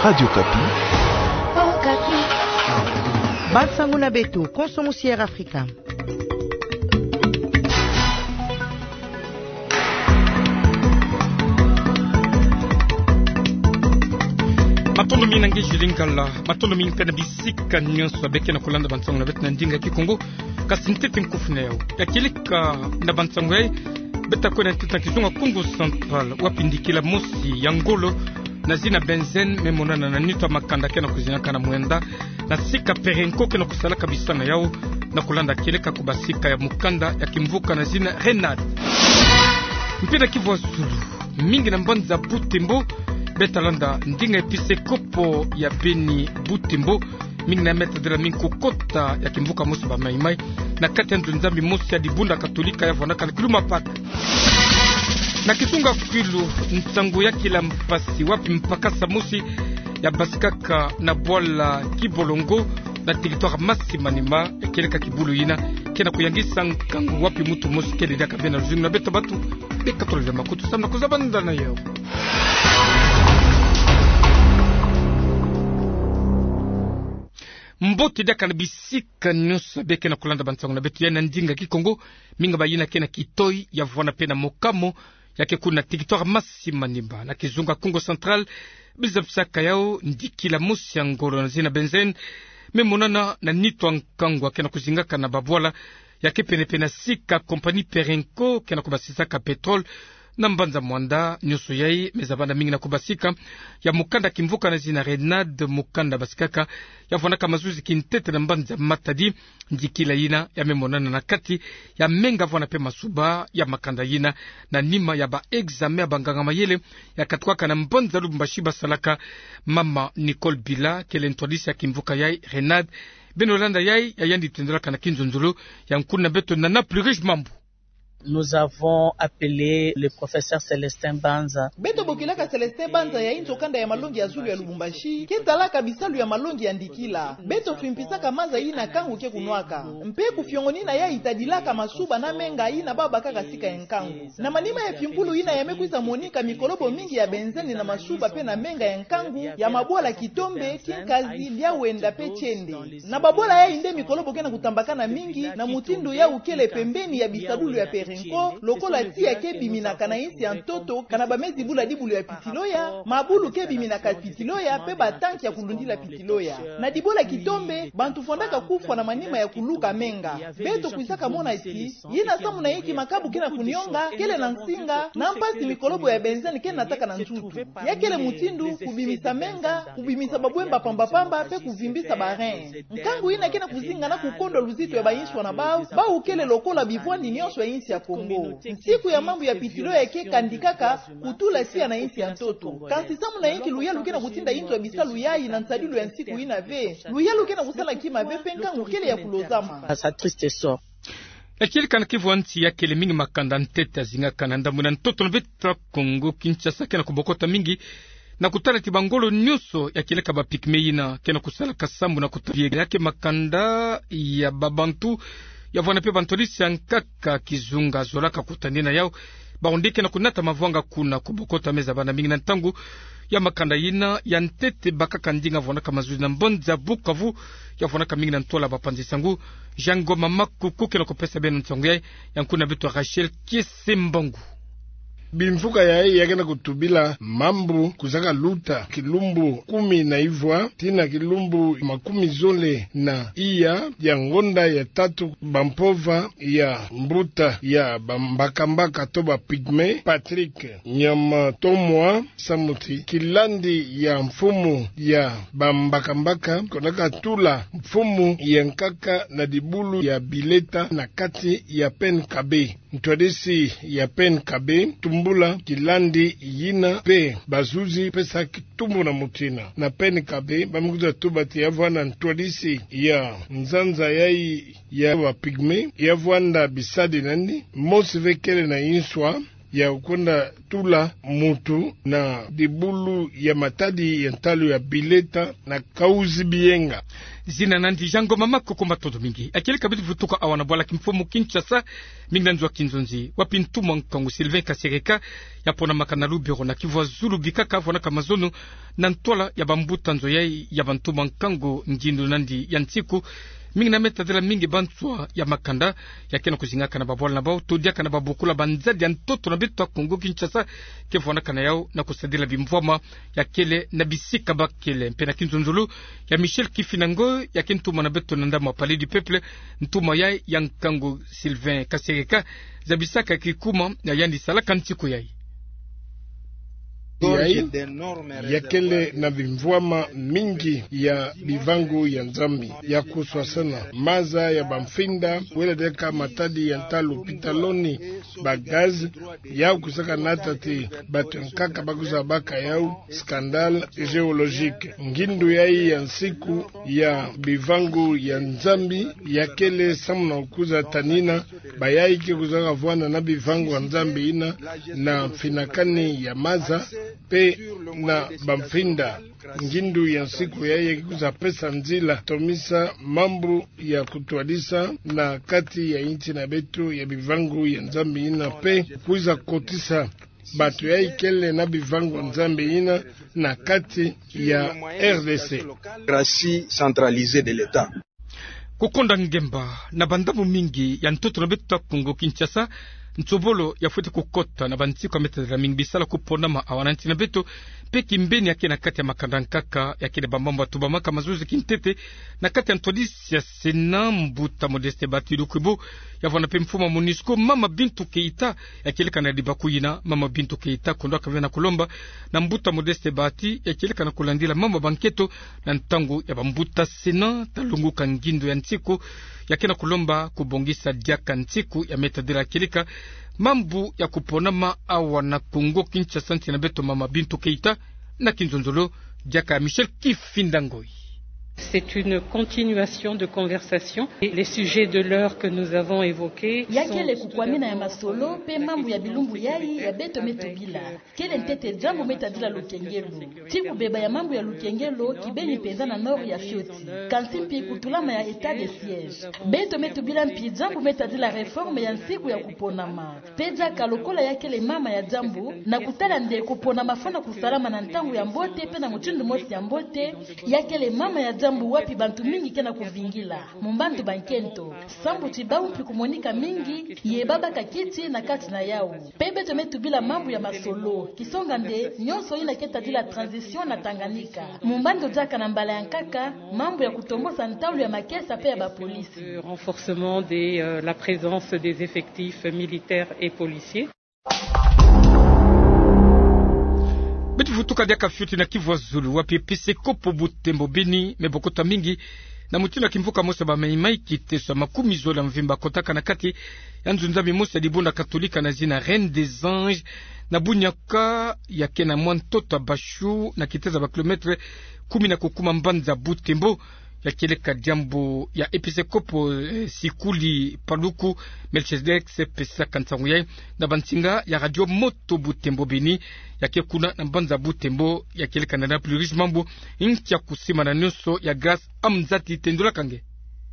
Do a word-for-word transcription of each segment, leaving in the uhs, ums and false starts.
Radio Okapi. Bansango na beto, konso mosi ya Air Afrika. Matondo mingi na nge Julie Ngala, matondo mingi mpe na bisika nyonso ya beke na kolanda bansango na beto na ndinga Kikongo. Kasi ntete nkufi na yau ya kieleka na bansango yai, beta kwenda ntete na kizunga Kongo Central, wapi ndikila mosi ya ngolo na zina benzène me monana na nitu ya makanda ke na kuzingaka na mwenda na sika Perenco ke na kusalaka bisika na yau, na kolanda kieleka kubasika ya mukanda ya kimvuka na zina Renade. Mpe na Kivu ya Sulu, mingi na mbanza Butembo, beta landa ndinga episekopo ya Beni Butembo, mingi na mètre de la mingi kukota ya kimvuka mosi ba Mai-Mai, na kati ya nzo Nzambi mosi ya dibunda Katolika ya vwandaka na Kilumapata. Na kizunga Kwilu, nsango ya kila mpasi wapi mpakasa mosi ya basikaka na bwala Kibolongo na territoire Masi-Maniema, ya kieleka kibulu yina ke na kuyangisa nkangu wapi muntu mosi kele diaka ve na luzingu na beto bantu beka tolele makutu samu na kuzabanda na yau. Mbote diaka na bisika nyonso beke na kolanda bansango na beto yai na ndinga Kikongo, mingi bayina ke na kitoyi ya vwanda mpe na mokamo, ya ke kuna na territoire Masi-Maniema na kizunga Kongo Central, bizabisaka yau ndikila mosi ya ngolo na zina benzène me monana na nitu ya nkangu ke na kuzingaka na babwala ya ke penepene na sika compagnie Perenco ke na kubasisaka pétrole na mbanza Muanda. Nyonso yai me zabanda mingi na kubasika ya mukanda kimvuka na zina Renade, mukanda basikaka ya vwandaka mazuzi kintete na mbanza Matadi. Ndikila yina ya me monana na kati ya menga vwanda mpe masuba ya makanda yina, na nima ya ba examen ya banganga-mayele ya katuka na mbanza Lubumbashi basalaka. Mama Nicole Bila kele ntwadisi ya kimvuka yai Renade. Beno landa yai ya yandi tendolaka na kinzonzolo ya nkuna beto Nana Plurish Mambu. Nous avons appelé le professeur Célestin Banza. Beto bokilaka Célestin Banza ya inzo kanda ya malongi ya zulu ya Lubumbashi, ke talaka bisalu ya malongi ya ndikila. Beto fimpisaka maza yina nkangu ke kunwaka. Mpe kufiongonina yai tadilaka masuba na menga yina babakaka sika ya nkangu. Na manima ya fimpulu yina ya me kwiza monika mikolobo mingi ya benzène na masuba mpe na menga ya nkangu, ya mabwala Kitombe, Kinkazi, Liawenda mpe Tiende. Na babwala yai nde mikolobo ke na kutambakana mingi, na mutindu yau kele pembeni ya bisadulu ya Perenco, lokola tiya ke biminaka na insi ya ntoto, kana ba me zibula dibulu ya pitiloya, mabulu ke biminaka pitiloya, mpe ba tanki ya kulundila pitiloya. Na dibwala Kitombe, bantu fondaka kufwa na manima ya kuluka menga. Beto kwisaka mona ti, yina samu na inki makabu ke na kunionga, kele na nsinga, na mpasi mikolobo ya benzène ke nataka na nzutu. Ya kele mutindu, kubimisa menga, kubimisa babwemba pamba-pamba, mpe kuvimbisa ba rein. Nkangu yina ke na kuzingana kukondwa luzitu ya bainswa na bau, bau kele lokola bivwandi nyonso ya insi ya Kongo. Nsiku ya mambu ya pitiloya ke kandikaka, kutula tiya na insi ya ntoto. Kansi samu na inki luyalu ke na kutinda inzo ya bisalu yai na nsadilu ya nsiku yina ve? Luyalu ke na kusala kima ve mpe nkangu kele ya kulozama. À sa triste sort. Ya kieleka na Kivu ya Nsi ya kele mingi makanda ntete ya zingaka na ndambu na ntoto na beto Kongo Kinshasa ke na kubokota mingi na kutala ti bangolo nyonso ya kieleka ba pygmée yina ke na kusalaka sambu na kuta-, ya ke makanda ya babantu ya vwanda mpe bantwadisi ya nkaka kizunga zolaka kutadina yau. Bawu nde ke na kunata mavwanga kuna kubokota me zabanda mingi na ntangu ya makanda yina ya ntete bakaka ndinga vwandaka mazuzi na mbanza Bukavu, ya vwandaka mingi na ntwala bapanzi sango. Jean Ngoma Makuku ke na kupesa beno nsangu yai, ya nkuna beto Rachel Kiese Mbangu. Bimvuka yai ya ke na kutubila mambu kuzaka luta kilumbu kumi na ivwa tii na kilumbu makumi zole na iya ya ngonda ya tatu, bampova ya mbuta ya bambakambaka to ba pygmée, Patrick Nyamatomwa Samuti, kilandi ya mfumu ya bambakambaka, konaka tula mfumu ya nkaka na dibulu ya Bileta na kati ya Penkabe. Ntwadisi ya Penkabe tumbula kilandi yina mpe bazuzi pesa kitumbu na muntu yina. Na Penkabe, ba me kwiza tuba ti ya vwanda ntwadisi ya nzanza yai ya ba pygmée, ya vwanda bisadi nandi, mosi ve kele na inswa ya kwenda tula muntu na dibulu ya matadi ya ntalu ya Bileta na Kauzi Bienga. Zina nandi Jean Ngoma Makuku, matondo mingi. Yakieleka beto vutuka awa na bwala kimfumu Kinshasa, mingi na nzo a kinzonzi, wapi ntumwa nkangu Sylvain Kasereka ya ponamaka na lubero na Kivu Zulu bikaka, vwanaka mazono na ntwala ya bambuta nzo yayi ya bantumwa nkangu ngindu nandi ya nsiku, mingi na meta dela mingi banswa ya makanda ya kena kuzingaka na babwala na bawu to diaka na babokula banzadi ya ntoto na beto ya Kongo Kinshasa ke vwanaka na yawu na kusadila bimvwama ya kele na bisika ba kele. Mpe na kinzonzolo ya Michel Kifinda Ngoy, ya ke ntumwa na beto na ndambu ya Palais du Peuple, ntumwa yayi ya nkangu Sylvain Kasereka zabisaka kikuma ya yandi salaka nsiku yayi. Yayi ya kele na bimvwama mingi ya bivangu ya Nzambi ya kuswasana, maza ya bamfinda, wele deka matadi ya nta lopitaloni, ba gaz, yawu kwisaka nata ti bato ya nkaka ba kwiza baka yawu scandale géologique. Ngindu yayi ya nsiku ya bivangu ya Nzambi ya kele samu na kwiza tanina bayayi ke kwizaka vwanda na bivangu ya Nzambi yina na mfinakani ya maza mpe na bamfinda. Ngindu ya nsiku yayi ya ke kwiza pesa nzila tomisa mambu ya kutwadisa na kati ya insi na beto ya bivangu ya Nzambi yina mpe kwiza kotisa bato yayi kele na bivangu ya Nzambi yina na kati ya R D C. Démocratie centralisée de l'État. Kukonda ngemba na bandambu mingi ya ntoto na beto ya Kongo Kinshasa, nsobolo ya fweti kukota na bansiku ya meta dela mingi bisala kuponama awa na nsi na beto, mpe kimbeni ya ke na kati ya makanda nkaka ya kele bamambu ya tubamaka mazozi kintete na kati ya ntwadisi ya Sénat, mbuta Modeste Bahati Lukwebo, ya vwanda mpe mfumu ya MONUSCO, mama Bintou Keita. Yakieleka na libaku yina, mama Bintou Keita kondwaka ve na kulomba na mbuta Modeste Bahati, yakieleka na kulandila mambu ya bankento na ntangu ya bambuta Sénat, ta lunguka ngindu ya nsiku ya ke na kulomba kubongisa diaka nsiku ya meta dela, yakieleka mambu ya kuponama awa na Kongo Kinshasa, nsi na beto, mama Bintou Keita, na kinzonzolo diaka Michel Kifinda Ngoy. C'est une continuation de conversation. Et les sujets de l'heure que nous avons évoqués sont... Ya kele kukwamina ya masolo mpe mambu ya bilumbu yayi ya beto me tubila. Kele ntete diambu me tadila lukengelo. Ti kubeba ya mambu ya lukengelo kibeni mpenza na nord ya fioti. Kansi mpi kutulama ya état de siège. Beto me tubila mpi diambu me tadila réforme ya nsiku ya kuponama. Mpe diaka lokola ya kele mama ya diambu, na kutala nde kuponama fwana kusalama na ntangu ya mbote mpe na mutindu mosi ya mbote, ya kele mama ya diambu wapi bantu mingi ke na kuvingila. Mu mbandu bankento, sambu ti bawu mpi kumonika mingi, ye babaka kiti na kati na yawu. Mpe beto me tubila mambu ya masolo, kisonga nde nyonso yina ke tadila transition na Tanganyika. Mu mbandu diaka na mbala ya nkaka, mambu ya kutombosa ntalu ya makesa mpe ya bapolisi. Le renforcement de, euh, la présence des effectifs militaires et policiers. Beto vutuka diaka fioti na Kivu ya Zulu, wapi episekopo Butembo Beni me bokota mingi na mutindu ya kimvuka mosi ya ba Maï-Maï, kiteso ya makumi zole ya mvimba kotaka na kati ya nzo-Nzambi mosi ya dibundu ya Katolika na zina Reine des Anges, na Bunyaka, ya ke na mwa ntoto ya Bashu, na kitezo ya ba kilomètre kumi na kukuma mbanza Butembo. Ya kieleka diambu ya episekopo, eh, Sikuli Paluku Melchizedek se pesaka nsangu yayi na bansinga ya Radio Moto Butembo Beni, ya ke kuna na mbanza Butembo, ya kieleka na Plus Riche mambu, nkia kusimana nyonso ya Grâce Amzati, tendulaka nge.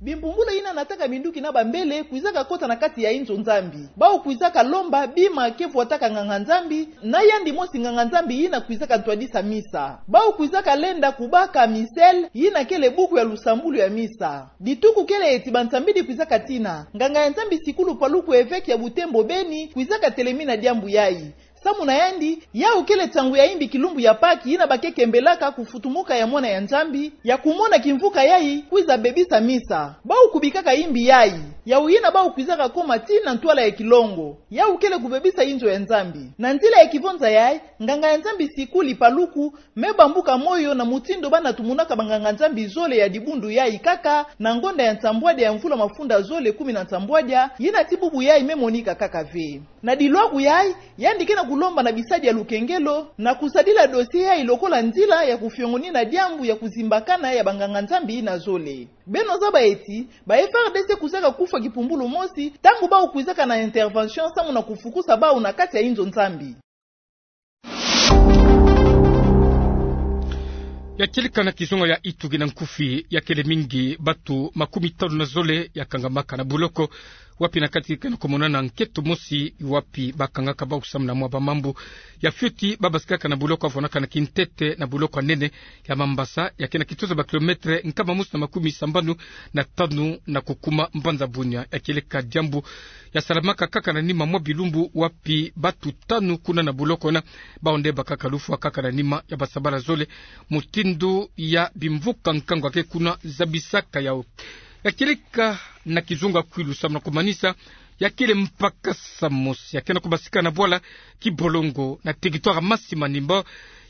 Bimbumbula yina nataka minduki na bambele kwizaka kota na kati ya inzo Nzambi. Bawu kwizaka lomba bima ke vwataka nganga-Nzambi, na yandi mosi nganga-Nzambi yina kwizaka ntwadisa misa. Bawu kwizaka lenda kubaka missel, yina kele buku ya lusambulu ya misa. Dituku kele eti bansambidi kwizaka tina, nganga ya Nzambi Sikulu Paluku, évêque ya Butembo Beni, kwizaka telemina diambu yayi. Samu na yandi, yawu kele nsangu ya imbi kilumbu ya Pâques yina ba ke kembelaka kufutumuka ya Mwana ya Nzambi, ya kumona kimvuka yayi kwiza bebisa misa. Bawu kubikaka imbi yayi, yawu yina bawu kwizaka koma tii na ntwala ya kilongo. Yawu kele kubebisa inzo ya Nzambi. Na nzila ya kivonza yayi, nganga ya Nzambi Sikuli Paluku me bambuka moyo na mutindu bana tumunaka banganga-Nzambi zole ya dibundu yayi kaka, na ngonda ya nsambwadia ya mvula mafunda zole kumi na nsambwadia, yina ti bubu yayi me monika kaka ve. Na dilwaku yayi, yandi ke na kulomba na bisadi ya lukengelo, na kusadila dossier yayi lokola nzila ya kufiongonina diambu ya kuzimbakana ya banganga-Nzambi yina zole. Beno zaba eti, ba F A R D C kwizaka kufwa kipumbulu mosi, ntangu bawu kwizaka na intervention samu na kufukusa bawu na kati ya inzo Nzambi. Ya kieleka na kizunga ya Itu kina nkufi, ya kele mingi batu makumi tanu na zole ya kangamaka na buloko, wapi na kati ke na komonana nkento mosi, wapi ba kangaka bau kusamuna mwa ba mambu ya fioti, ba basikaka na buloko ya fwanaka na kintete na buloko ya nene ya Mambasa, ya ke na kitoza ba kilometre nkama mosi na makumi sambanu na tanu na kukuma mbanza Bunia. Ya kieleka diambu ya salamaka kaka na nima mwa bilumbu, wapi batu tanu kuna na buloko na bau nde bakaka lufwa kaka na nima ya basabala zole, mutindu ya bimvuka nkangu ya ke kuna zabisaka yau. Ya kieleka na kizunga kwilu samu na kumanisa, ya kele mpakasa mosi ya ke na kubasika na bwala Kibolongo na territoire Masi Manimba,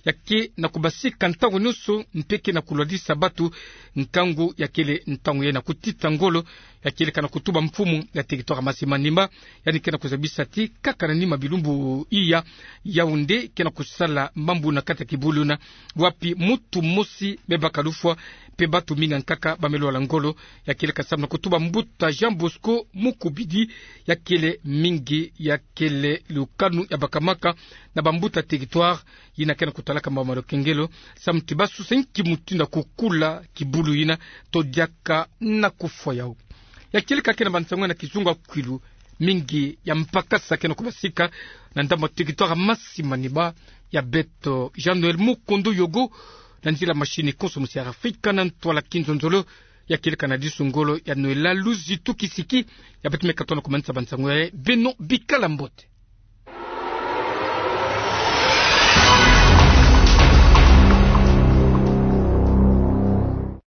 ya ke na kubasika ntangu nyonso mpe ke na kulwalisa batu nkangu, ya kele ntangu ya na kutita ngolo. Ya kieleka na kutuba mfumu ya territoire Masi Manimba, yandi ke na kuzabisa ti kaka na nima bilumbu iya, Yaoundé ke na kusala mambu na kati ya kibulu na, wapi mutu mosi me baka lufwa, mpe batu mingi ya nkaka ba me lwala ngolo. Ya kieleka samu na kutuba mbuta Jean Bosco Mukubidi, ya kele mingi ya kele lukanu ya bakamaka na bambuta territoire yina ke na kutalaka mambu ma lukengelo, samu ti ba susa nki mutindu ya kukula kibulu yina to diaka na kufwa yau. Ya kieleka ke na bansangu na kizunga kwilu, mingi ya mpakasa ke na kubasika na ndambu ya territoire Masi Manimba. Ya beto Jean Noël Mukondo Yogo, na nzila machine konso musi ya Afrika na ntwala kinzonzolo. Ya kieleka na disu ngolo ya Noëlla Luzitu Kisiki, ya beto me katono kumanisa bansangu ya, beno bikala mbote.